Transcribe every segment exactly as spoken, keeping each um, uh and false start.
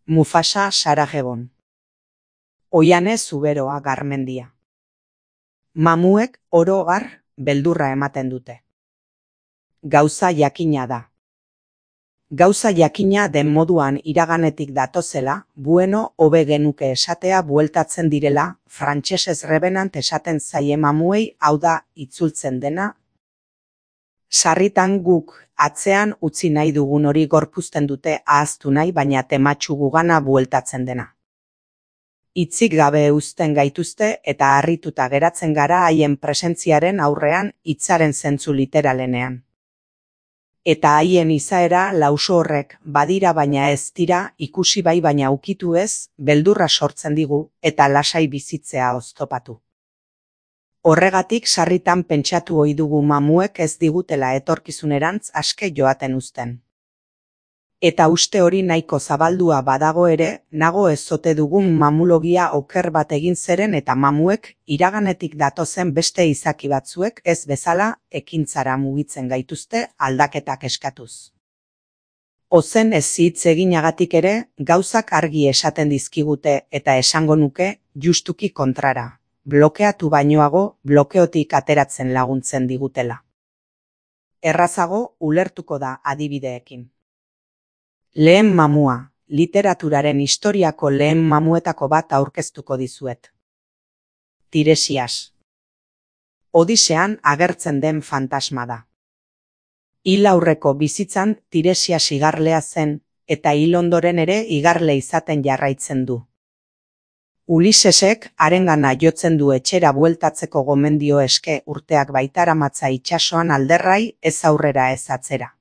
Mufasa Sarajegon. Oiane Zuberoa Garmendia. Mamuek oro har beldurra ematen dute. Gauza jakina da. Gauza jakina den moduan iraganetik datozela, bueno hobe genuke esatea bueltatzen direla, frantsesez revenant esaten zaie mamuei, hau da, itzultzen dena. Sarritan guk atzean utzi nahi dugun hori gorpuzten dute ahaztu nahi, baina tematsu gugana bueltatzen dena. Hitzik gabe uzten gaituzte eta harrituta geratzen gara haien presentziaren aurrean hitzaren zentzu literalenean. Eta haien izaera lauso horrek badira baina ez dira, ikusi bai baina ukitu ez, beldurra sortzen digu eta lasai bizitzea oztopatu. Horregatik sarritan pentsatu ohi dugu mamuek ez digutela etorkizunerantz aske joaten uzten. Eta uste hori nahiko zabaldua badago ere, nago ez ote dugun mamulogia oker bat egin zeren eta mamuek iraganetik datozen beste izaki batzuek ez bezala ekintzara mugitzen gaituzte aldaketak eskatuz. Ozen ez hitz eginagatik ere, gauzak argi esaten dizkigute eta esango nuke justuki kontrara. Blokeatu bainoago, blokeotik ateratzen laguntzen digutela. Errazago ulertuko da adibideekin. Lehen mamua, literaturaren historiako lehen mamuetako bat aurkeztuko dizuet. Tiresias. Odisean agertzen den fantasma da. Hil aurreko bizitzan Tiresias igarlea zen, eta hil ondoren ere igarle izaten jarraitzen du. Ulisesek harengana jotzen du etxera bueltatzeko gomendio eske urteak baitaramatza itsasoan alderrai, ez aurrera ez atzera.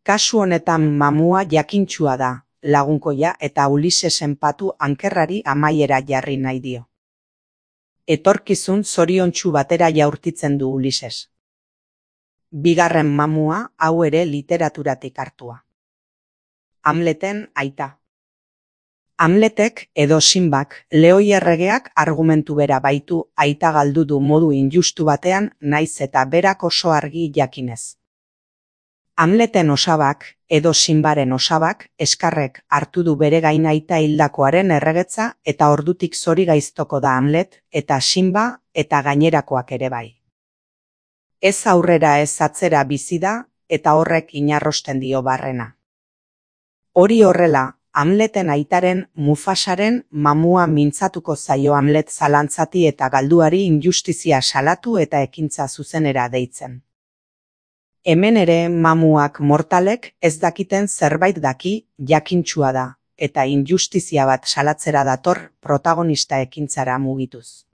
Kasu honetan mamua jakintsua da, lagunkoia eta Ulisesen patu ankerrari amaiera jarri nahi dio. Etorkizun zoriontsu batera jaurtitzen du Ulises. Bigarren mamua hau ere literaturatik hartua. Hamleten aita. Hamletek edo Sinbak, Leoi erregeak argumentu bera baitu aita galdu du modu injustu batean naiz eta berak oso argi jakinez. Hamleten osabak, edo Sinbaren osabak, eskarrek hartu du bere gain aita hildakoaren erregetza eta ordutik zori gaiztoko da Hamlet, eta Sinba eta gainerakoak ere bai. Ez aurrera ez atzera bizi da, eta horrek inarrosten dio barrena. Hori horrela, Hamleten aitaren Mufasaren mamua mintzatuko zaio Hamlet zalantzati eta galduari injustizia salatu eta ekintza zuzenera deitzen. Hemen ere mamuak mortalek ez dakiten zerbait daki jakintsua da, eta injustizia bat salatzera dator protagonista ekintzara mugituz.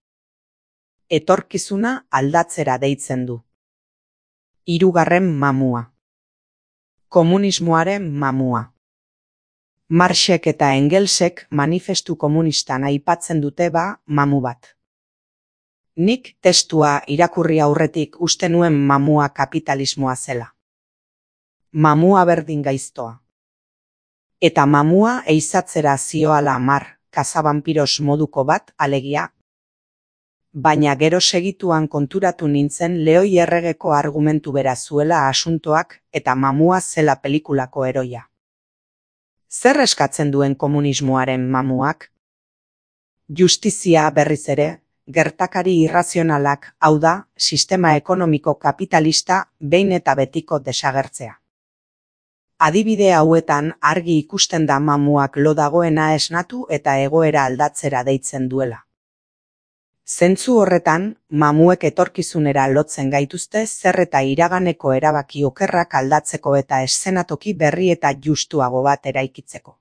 Etorkizuna aldatzera deitzen du. Hirugarren mamua. Komunismoaren mamua. Marxek eta Engelsek manifestu komunistan aipatzen dute ba mamu bat. Nik testua irakurri aurretik uste nuen mamua kapitalismoa zela. Mamua berdin gaiztoa. Eta mamua eizatzera zioala mar, kazabampiros moduko bat alegia. Baina gero segituan konturatu nintzen Leoi erregeko argumentu bera zuela asuntoak eta mamua zela pelikulako heroia. Zer eskatzen duen komunismoaren mamuak? Justizia berriz ere, gertakari irrazionalak, hau da, sistema ekonomiko kapitalista behin eta betiko desagertzea. Adibide hauetan argi ikusten da mamuak lo dagoena esnatu eta egoera aldatzera deitzen duela. Zentzu horretan, mamuek etorkizunera lotzen gaituzte zer eta iraganeko erabaki okerrak aldatzeko eta eszenatoki berri eta justuago bat eraikitzeko.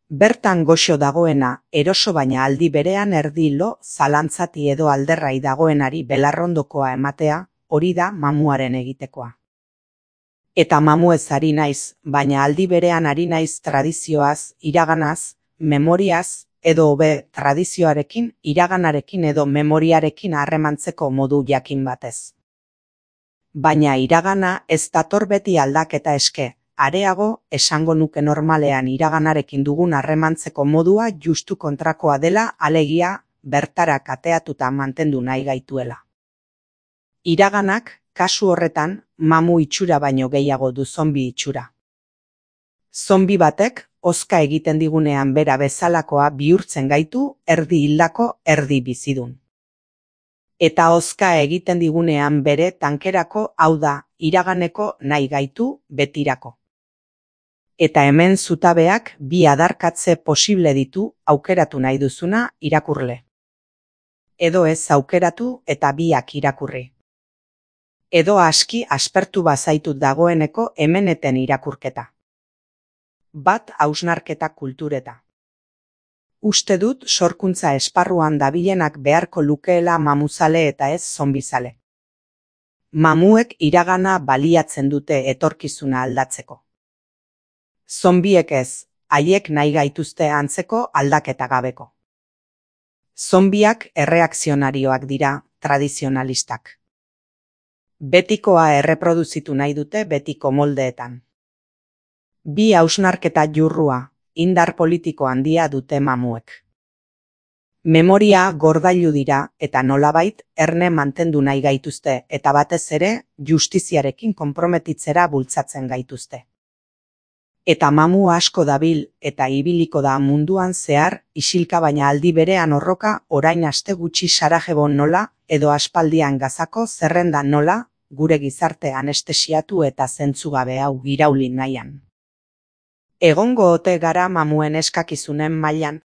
Bertan goxo dagoena, eroso baina aldi berean erdi lo, zalantzati edo alderrai dagoenari belarrondokoa ematea, hori da mamuaren egitekoa. Eta mamuez ari naiz, baina aldi berean ari naiz tradizioaz, iraganaz, memoriaz, edo hobe tradizioarekin, iraganarekin edo memoriarekin harremantzeko modu jakin batez. Baina iragana ez dator beti aldaketa eske. Areago, esango nuke normalean iraganarekin dugun harremantzeko modua justu kontrakoa dela, alegia, bertara kateatuta mantendu nahi gaituela. Iraganak, kasu horretan, mamu itxura baino gehiago du zombi itxura. Zombi batek hozka egiten digunean bera bezalakoa bihurtzen gaitu erdi hildako erdi bizidun. Eta hozka egiten digunean bere tankerako, hau da, iraganeko nahi gaitu betirako. Eta hemen zutabeak bi adarkatze posible ditu aukeratu nahi duzuna irakurle. Edo ez aukeratu eta biak irakurri. Edo aski aspertu bazaitut dagoeneko hemeneten irakurketa. Bat hausnarketa kultureta. Uste dut sorkuntza esparruan dabilenak beharko lukeela mamuzale eta ez zombizale. Mamuek iragana baliatzen dute etorkizuna aldatzeko. Zombiek ez, haiek nahi gaituzte antzeko aldaketa gabeko. Zombiak erreakzionarioak dira, tradizionalistak. Betikoa erreproduzitu nahi dute betiko moldeetan. Bi hausnarketa jurrua, indar politiko handia dute mamuek. Memoria gordailu dira eta nolabait erne mantendu nahi gaituzte eta batez ere justiziarekin konprometitzera bultzatzen gaituzte. Eta mamu asko dabil eta ibiliko da munduan zehar isilka baina aldi berean horroka orain aste gutxi Sarajebon nola edo aspaldian Gazako zerrendan nola gure gizarte anestesiatu eta zentzugabe hau irauli nahian. Egongo ote gara mamuen eskakizunen mailan.